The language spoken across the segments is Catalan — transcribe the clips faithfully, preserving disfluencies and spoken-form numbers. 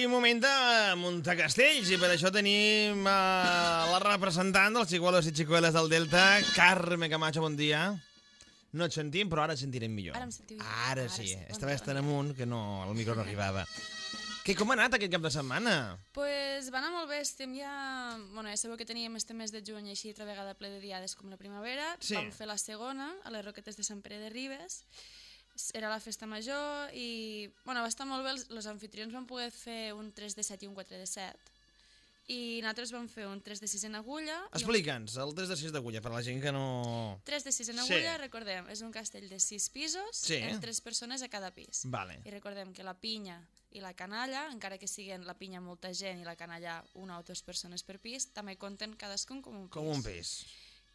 I moment de muntar castells, i per això tenim uh, la representant dels xicuelos i xicueles del Delta, Carme Camacho, bon dia. No et sentim, però ara et sentirem millor. Ara em sentiu millor. Ara, Ara sí, sí. Bon estaves dia, tan bon dia. amunt que no, el micro no arribava. Què, com ha anat aquest cap de setmana? Pues va anar molt bé, estem ja... Bueno, ja sabeu que teníem este mes de juny així altra vegada ple de diades com la primavera. Sí. Vam fer la segona a les Roquetes de Sant Pere de Ribes. Era la festa major i bueno, va estar molt bé. Els, els anfitrions van poder fer un tres de set i un quatre de set. I nosaltres vam fer un tres de sis en agulla. Explica'ns, el tres de sis d'agulla, per la gent que no... tres de sis en Sí. agulla, recordem, és un castell de sis pisos, Sí. amb tres persones a cada pis. Vale. I recordem que la pinya i la canalla, encara que siguin la pinya molta gent i la canalla una o dues persones per pis, també compten cadascun com un pis. Com un pis.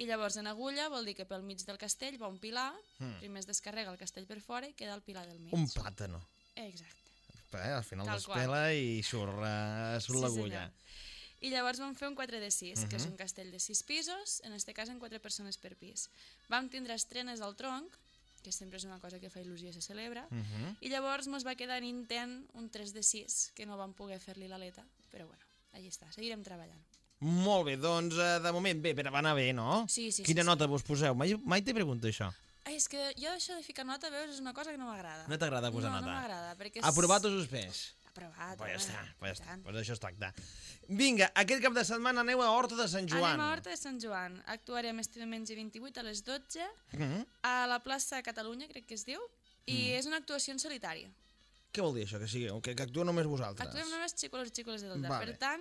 I llavors en agulla vol dir que pel mig del castell va un pilar, Mm. primer es descarrega el castell per fora i queda el pilar del mig. Un plàtano. Exacte. Eh, al final Tal despela i surt, uh, surt Sí, l'agulla. senyor. I llavors vam fer un quatre de sis, uh -huh. que és Mhm. un castell de sis pisos, en este cas en quatre persones per pis. Vam tindre estrenes al tronc, que sempre és una cosa que fa il·lusió i se celebra, Uh -huh. i llavors mos va quedar en intent un tres de sis, que no vam poder fer-li l'aleta, però bueno, allà està, seguirem treballant. Molt bé, doncs uh, de moment bé, però va anar bé, no? Sí, sí, Quina sí, nota vos poseu? Mai, mai t'he preguntat això. Ai, és que jo això de ficar nota, veus, és una cosa que no m'agrada. No t'agrada posar no, nota? No, m'agrada, perquè és... Aprovat o suspès? Aprovat. Pues ja home, està, pues ja i està. tant. Pues això es tracta. Vinga, aquest cap de setmana aneu a Horta de Sant Joan. Anem a Horta de Sant Joan. Actuarem este diumenge vint-i-vuit a les dotze Uh -huh. a la plaça Catalunya, crec que es diu, i Mm. és una actuació en solitari. Què vol dir això, que sigueu? Que, que actueu només vosaltres? Actuem només xicolos i xicoles de Delta. Vale. Per tant,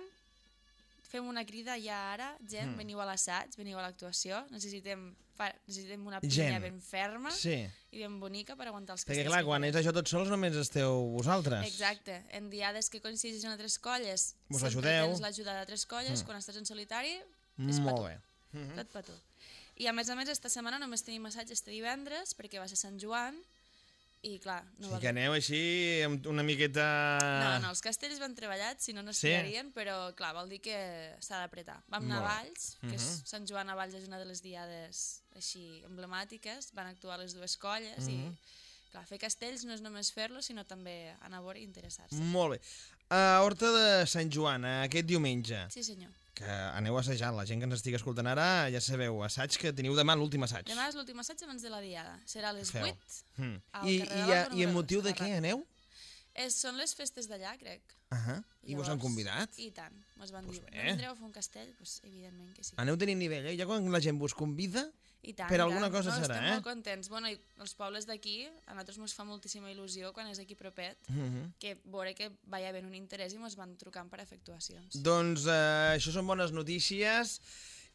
fem una crida ja ara, gent, Mm. veniu a l'assaig, veniu a l'actuació, necessitem, fa, necessitem una pinya Gent. ben ferma Sí, i ben bonica per aguantar els perquè castells. clar, que quan farem. és això tots sols només esteu vosaltres. Exacte, en diades que coincideixen altres colles, Vos sempre ajudeu. tens l'ajuda d'altres colles, Mm. quan estàs en solitari, és Molt per bé. Uh -huh. tot per tu. I a més a més, esta setmana només tenim assaig este divendres, perquè va ser Sant Joan, i clar, no O va sigui que aneu així amb una miqueta... No, no, els castells van treballats, si no, no es Sí? tirarien, però clar, vol dir que s'ha d'apretar. Vam anar a Molt bé. Valls, que és, Mhm. Sant Joan a Valls és una de les diades així emblemàtiques, van actuar les dues colles i Mhm. clar, fer castells no és només fer-lo, sinó també anar a veure i interessar-se. Molt bé. A Horta de Sant Joan, aquest diumenge, Sí, senyor. que aneu assajant, la gent que ens estigui escoltant ara, ja sabeu, assaig que teniu demà l'últim assaig. Demà és l'últim assaig abans de la diada. Serà a les Feu. vuit. Mm. al I, carrer i, de a, l'Alba I en número motiu dos, de a la què Ràdio. aneu? És, són les festes d'allà, crec. Uh -huh. I vos han Llavors, convidat? I tant. Mos van Pues dir, bé. no vindreu a fer un castell? Pues, evidentment que sí. Aneu tenint nivell, eh? Ja quan la gent vos convida, I tant, per i alguna tant. cosa no, serà, estem eh? molt contents. Bueno, i els pobles d'aquí, a nosaltres ens fa moltíssima il·lusió quan és aquí propet, uh -huh. que veure que vaya havent un interès i ens van trucant per a fer actuacions. doncs eh, això són bones notícies.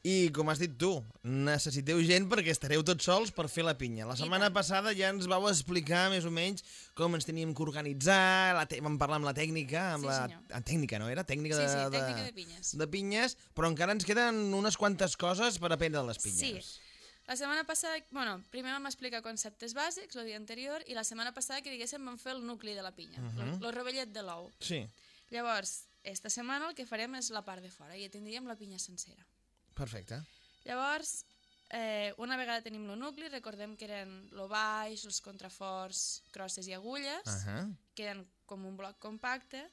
I, com has dit tu, necessiteu gent perquè estareu tots sols per fer la pinya. La I setmana tant. passada ja ens vau explicar més o menys com ens teníem que organitzar, la te vam parlar amb la tècnica, amb Sí, la senyor. ah, tècnica, no era? Tècnica Sí, de, sí, de, tècnica de pinyes. de pinyes, però encara ens queden unes quantes coses per aprendre de les pinyes. Sí. La setmana passada, bueno, primer vam explicar conceptes bàsics, el dia anterior, i la setmana passada, que diguéssim, vam fer el nucli de la pinya, Mhm. el, el rovellet de l'ou. Sí, Llavors, esta setmana el que farem és la part de fora, i ja tindríem la pinya sencera. perfecte. Llavors, eh, una vegada tenim el nucli, recordem que eren lo baix, els contraforts, crosses i agulles, Uh -huh. que eren com un bloc compacte,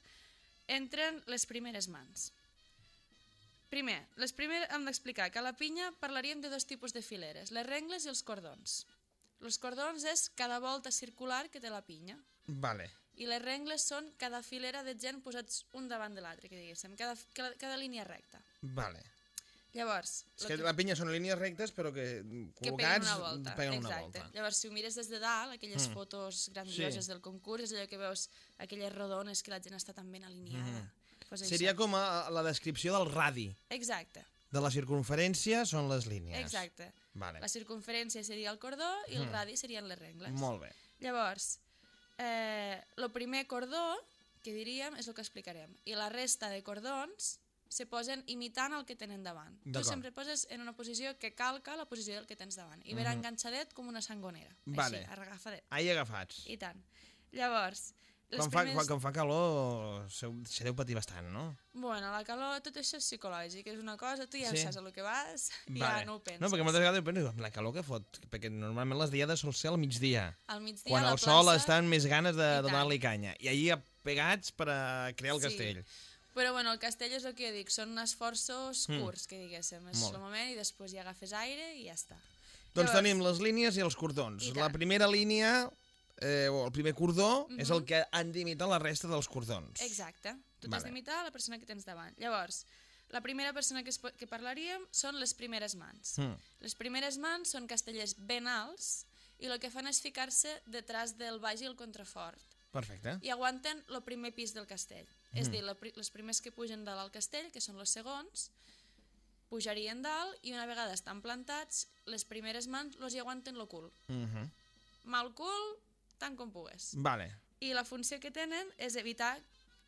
entren les primeres mans. Primer, les primeres hem d'explicar que a la pinya parlaríem de dos tipus de fileres, les rengles i els cordons. Els cordons és cada volta circular que té la pinya, Vale. i les rengles són cada filera de gent posats un davant de l'altre, que diguéssim, cada, cada, cada línia recta. Vale. Llavors, És lo que que- la pinya són línies rectes, però que que peguen col·locats una volta. peguen una Exacte. volta. Llavors, si ho mires des de dalt, aquelles Mm. fotos grandioses Sí. del concurs, és allò que veus, aquelles rodones que la gent està tan ben alineada. Mm. Pues això. Seria com a, la descripció del radi. Exacte, De la circunferència són les línies. exacte. Vale. La circunferència seria el cordó i el Mm. radi serien les rengles. Molt bé. Llavors, eh, el primer cordó, que diríem, és el que explicarem. I la resta de cordons se posen imitant el que tenen davant. Tu D'acord. sempre poses en una posició que calca la posició del que tens davant. I verà Mhm. enganxadet com una sangonera. Vale. Així, agafadet. Ahí agafats. I tant. Llavors, les Quan fa, primers... quan, quan fa calor, seu- se deu patir bastant, no? Bueno, la calor, tot això és psicològic, és una cosa, tu ja Sí. saps a lo que vas i Vale. ja no ho penses. No, perquè moltes vegades penso, la calor que fot, perquè normalment les diades sol ser al migdia, Al migdia quan a la el sol plaça, està amb més ganes de, I de tant. donar-li canya. I ahir a pegats per a crear el Sí. castell. Però bueno, el castell és el que jo dic, són esforços Mm. curts, que diguéssim. És Molt el moment i després ja agafes aire i ja està. Doncs Llavors- tenim les línies i els cordons. I La tant. primera línia, eh, o el primer cordó, Mhm. és el que han d'imitar la resta dels cordons. Exacte. Tu Vale. t'has d'imitar la persona que tens davant. Llavors, la primera persona que, es, po- que parlaríem són les primeres mans. Mm. Les primeres mans són castellers ben alts i el que fan és ficar-se detrás del baix i el contrafort Perfecte. i aguanten el primer pis del castell. Mm. És a dir, la, pri- les primers que pugen dalt al castell, que són els segons, pujarien dalt i una vegada estan plantats, les primeres mans los hi aguanten el cul. Mhm. Mal cul, tant com pugues. Vale. I la funció que tenen és evitar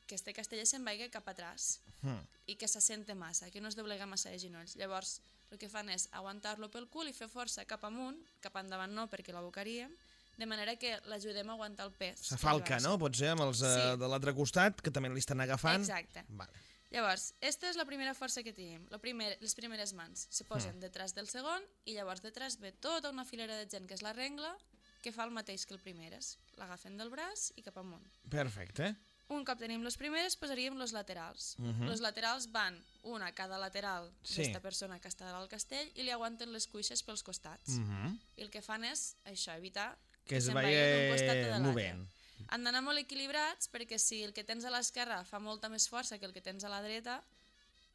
que este casteller se'n vagi cap atràs Mm. i que s'assente massa, que no es doblega massa de genolls. Llavors, el que fan és aguantar-lo pel cul i fer força cap amunt, cap endavant no, perquè l'abocaríem, de manera que l'ajudem a aguantar el pes. Se falca, no? Pot ser amb els eh, Sí. de l'altre costat, que també li estan agafant. Exacte. Vale. Llavors, aquesta és la primera força que tenim. La primer, les primeres mans se posen Mm. detrás del segon i llavors detrás ve tota una filera de gent que és la rengla, que fa el mateix que el primeres. L'agafen del braç i cap amunt. Perfecte. Un cop tenim les primeres, posaríem los laterals. Mhm. Los laterals van una a cada lateral Sí. d'esta persona que està al castell i li aguanten les cuixes pels costats. Mhm. I el que fan és això, evitar Que es se'n vagi d'un costat o de l'altre. movent. Han d'anar molt equilibrats perquè si el que tens a l'esquerra fa molta més força que el que tens a la dreta,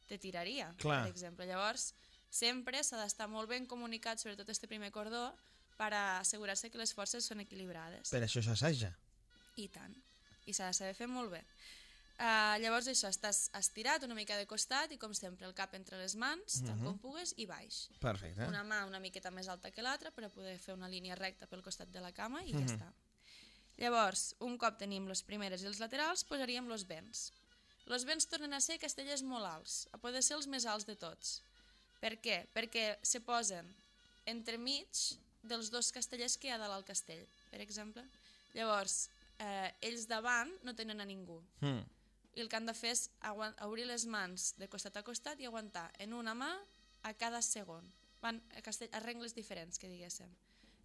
te tiraria, Clar. per exemple. Llavors, sempre s'ha d'estar molt ben comunicat, sobretot este primer cordó, per assegurar-se que les forces són equilibrades. Per això s'assaja. I tant. I s'ha de saber fer molt bé. Uh, llavors això, estàs estirat una mica de costat i com sempre el cap entre les mans, tant Mhm. com pugues, i baix. Perfecte. Una mà una miqueta més alta que l'altra per a poder fer una línia recta pel costat de la cama i Mhm. ja està. Llavors, un cop tenim les primeres i els laterals, posaríem los vents. Los vents tornen a ser castellers molt alts, a poder ser els més alts de tots. Per què? Perquè se posen entremig dels dos castellers que hi ha dalt al castell, per exemple. Llavors, eh, ells davant no tenen a ningú. Mm. I el que han de fer és aguant- obrir les mans de costat a costat i aguantar en una mà a cada segon. Van a, castell, a rengles diferents, que diguéssim.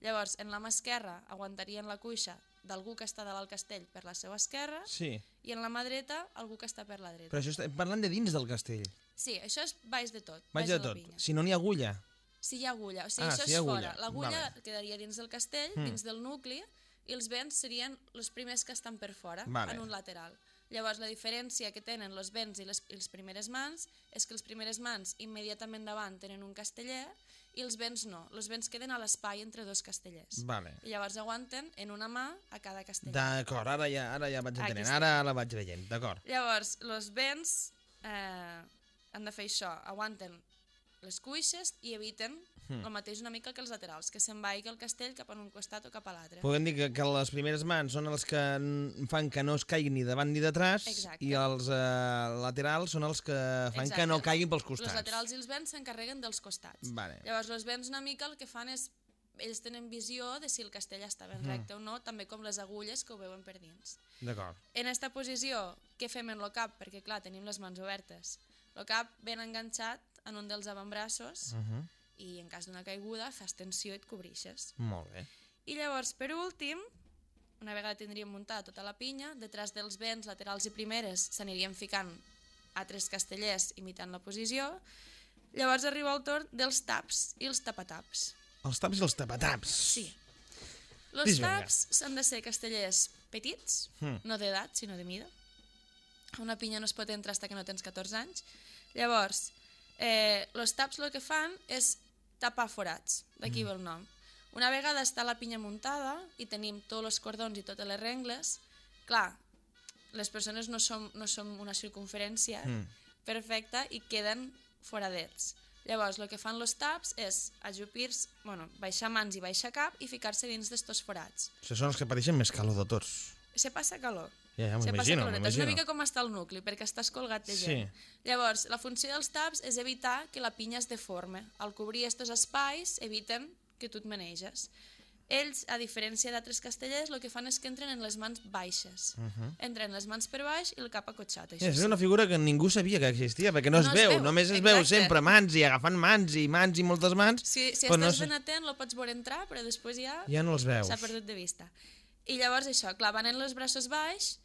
Llavors, en la mà esquerra aguantarien la cuixa d'algú que està dalt al castell per la seva esquerra Sí. i en la mà dreta algú que està per la dreta. Però això estem parlant de dins del castell. Sí, això és baix de tot. Vaig baix de la tot. pinya. Si no n'hi ha agulla. Si hi ha agulla, o sigui, Ah, això si hi és ha agulla. fora. L'agulla Vale. quedaria dins del castell, Mm. dins del nucli, i els vents serien els primers que estan per fora, Vale. en un lateral. Llavors, la diferència que tenen els vents i les, i les primeres mans és que les primeres mans immediatament davant tenen un casteller i els vents no. Els vents queden a l'espai entre dos castellers. Vale. I llavors aguanten en una mà a cada casteller. D'acord, ara ja, ara ja vaig Aquí entenent. està. Ara la vaig veient, d'acord. Llavors, els vents eh, han de fer això, aguanten les cuixes i eviten Mm. el mateix una mica que els laterals, que se'n vagi el castell cap a un costat o cap a l'altre. Podem dir que, que les primeres mans són els que n- fan que no es caiguin ni davant ni detrás. Exacte. I els eh, laterals són els que fan Exacte. que no caiguin pels Els costats. laterals i els vents s'encarreguen dels costats. Vale. Llavors, els vents una mica el que fan és ells tenen visió de si el castell està ben Mhm. recte o no, també com les agulles que ho veuen per dins. D'acord. En aquesta posició, què fem en el cap? Perquè, clar, tenim les mans obertes. El cap ben enganxat en un dels avantbraços Uh -huh. i en cas d'una caiguda fas tensió i et cobrixes. Molt bé. I llavors, per últim, una vegada tindríem muntada tota la pinya, detrás dels vents laterals i primeres s'aniríem ficant altres castellers imitant la posició. Llavors arriba el torn dels taps i els tapataps. Els taps i els tapataps. Sí. Els Dis vinga. taps s'han de ser castellers petits, Mm. no d'edat, sinó de mida. Una pinya no es pot entrar fins que no tens catorze anys. Llavors, eh, els taps el que fan és tapar forats, d'aquí ve el nom. Una vegada està la pinya muntada i tenim tots els cordons i totes les rengles, clar, les persones no som, no som una circunferència Mm. perfecta i queden foradets. Llavors, el que fan els taps és ajupir-se, bueno, baixar mans i baixar cap i ficar-se dins d'estos forats. Això són els que pateixen més calor de tots. Se passa calor. Ja, ja Se passa m'imagino, caloreta. És una m'imagino. mica com està el nucli, perquè estàs colgat de Sí. gent. Llavors, la funció dels taps és evitar que la pinya es deforme. Al cobrir aquests espais, eviten que tu et maneges. Ells, a diferència d'altres castellers, el que fan és que entren en les mans baixes. Uh -huh. Entren les mans per baix i el cap acotxat. Això És sí. una figura que ningú sabia que existia, perquè no, No es es veu, veu, només es veu exacte. sempre mans i agafant mans i mans i moltes mans, Si, si però estàs no se- ben atent, el pots veure entrar, però després ja ja no els veus. s'ha perdut de vista. I llavors això, clar, van en els braços baix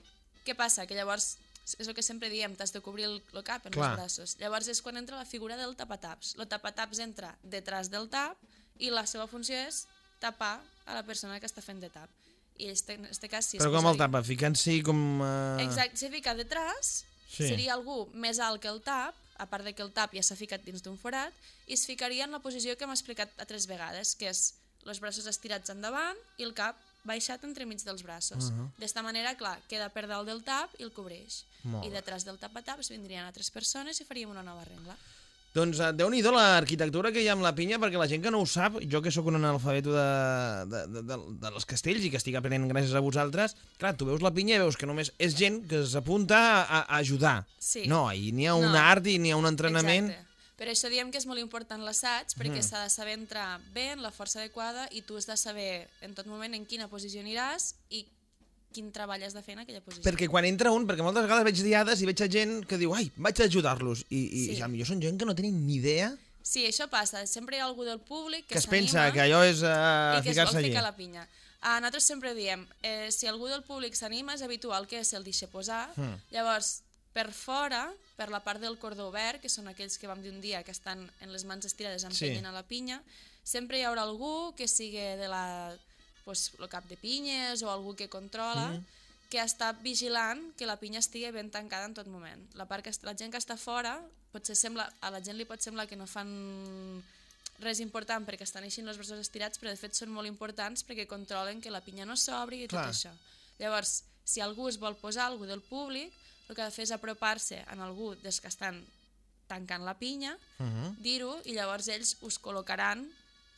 Què passa? Que llavors, és el que sempre diem, t'has de cobrir el, el cap en Clar. els braços. Llavors és quan entra la figura del tapataps. El tapataps entra detrás del tap i la seva funció és tapar a la persona que està fent de tap. I este, en este cas, si Però es com el posaria... tapa? Ficant-s'hi com... Uh... Exacte, si fica detrás, Sí. seria algú més alt que el tap, a part de que el tap ja s'ha ficat dins d'un forat, i es ficaria en la posició que hem explicat a tres vegades, que és els braços estirats endavant i el cap baixat entremig dels braços. Uh -huh. D'esta manera, clar, queda per dalt del tap i el cobreix. Molt I bé. detrás del tapataps vindrien altres persones i faríem una nova rengla. Doncs uh, déu-n'hi-do l'arquitectura que hi ha amb la pinya, perquè la gent que no ho sap, jo que sóc un analfabeto de, de, de, de, dels castells i que estic aprenent gràcies a vosaltres, clar, tu veus la pinya i veus que només és gent que s'apunta a, a ajudar. Sí. No, i n'hi ha un No. art i n'hi ha un entrenament. Exacte. Per això diem que és molt important l'assaig, perquè s'ha de saber entrar bé, en la força adequada, i tu has de saber en tot moment en quina posició aniràs i quin treball has de fer en aquella posició. Perquè quan entra un, perquè moltes vegades veig diades i veig a gent que diu, ai, vaig a ajudar-los, i, i Sí. sí. potser són gent que no tenen ni idea, Sí, això passa. Sempre hi ha algú del públic que, que es s'anima pensa que allò és uh, i que es vol ficar-se allí. ficar la pinya. Uh, nosaltres sempre diem, eh, si algú del públic s'anima, és habitual que se'l deixi posar. Mm. Llavors, per fora, per la part del cordó obert, que són aquells que vam dir un dia que estan en les mans estirades empenyen Sí. a la pinya, sempre hi haurà algú que sigui de la, pues, el cap de pinyes o algú que controla, mm. que està vigilant que la pinya estigui ben tancada en tot moment. La, part que, est- la gent que està fora, potser sembla, a la gent li pot semblar que no fan res important perquè estan així els braços estirats, però de fet són molt importants perquè controlen que la pinya no s'obri i tot Clar. això. Llavors, si algú es vol posar, algú del públic, el que ha de fer és apropar-se en algú dels que estan tancant la pinya, Uh -huh. dir-ho, i llavors ells us col·locaran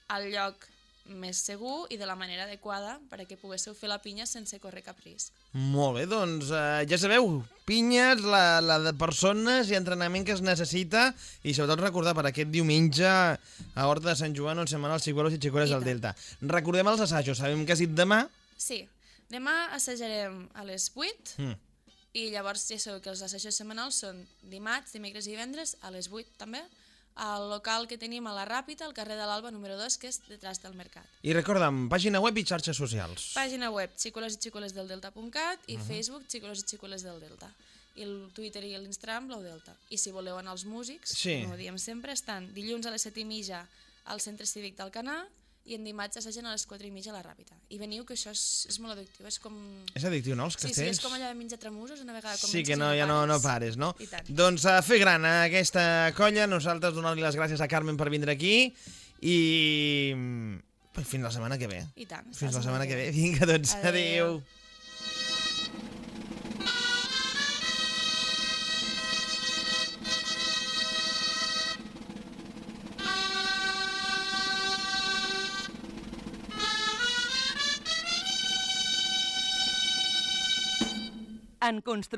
al lloc més segur i de la manera adequada perquè poguéssiu fer la pinya sense córrer cap risc. Molt bé, doncs uh, ja sabeu, pinyes, la, la de persones i entrenament que es necessita, i sobretot recordar per aquest diumenge a Horta de Sant Joan on se'n van els xicuelos i xicueles I del tant. Delta. Recordem els assajos, sabem que ha sigut demà. Sí, demà assajarem a les vuit, Mm. i llavors ja sabeu que els assajos setmanals són dimarts, dimecres i divendres a les vuit també, al local que tenim a la Ràpita, al carrer de l'Alba número dos, que és detrás del mercat. I recorda'm, pàgina web i xarxes socials. Pàgina web xicolos i xicoles del delta punt cat i uh -huh. Facebook xicolos i xicoles del Delta. I el Twitter i l'Instagram Blau Delta. I si voleu anar als músics, Sí. com ho diem sempre, estan dilluns a les set i mitja al Centre Cívic d'Alcanar i en dimarts assagen a les quatre i mitja a la Ràpita. I veniu, que això és, és molt addictiu, és com... És addictiu, no, els Sí, sí, castells? és com allò de menjar tramusos una vegada Sí, comences que no, i ja no, no pares. pares, no? I tant. Doncs a fer gran a aquesta colla, nosaltres donar-li les gràcies a Carmen per vindre aquí i mm, fins la setmana que ve. I tant. Fins la setmana que ve. Vinga, doncs, Adéu. adéu. En construcció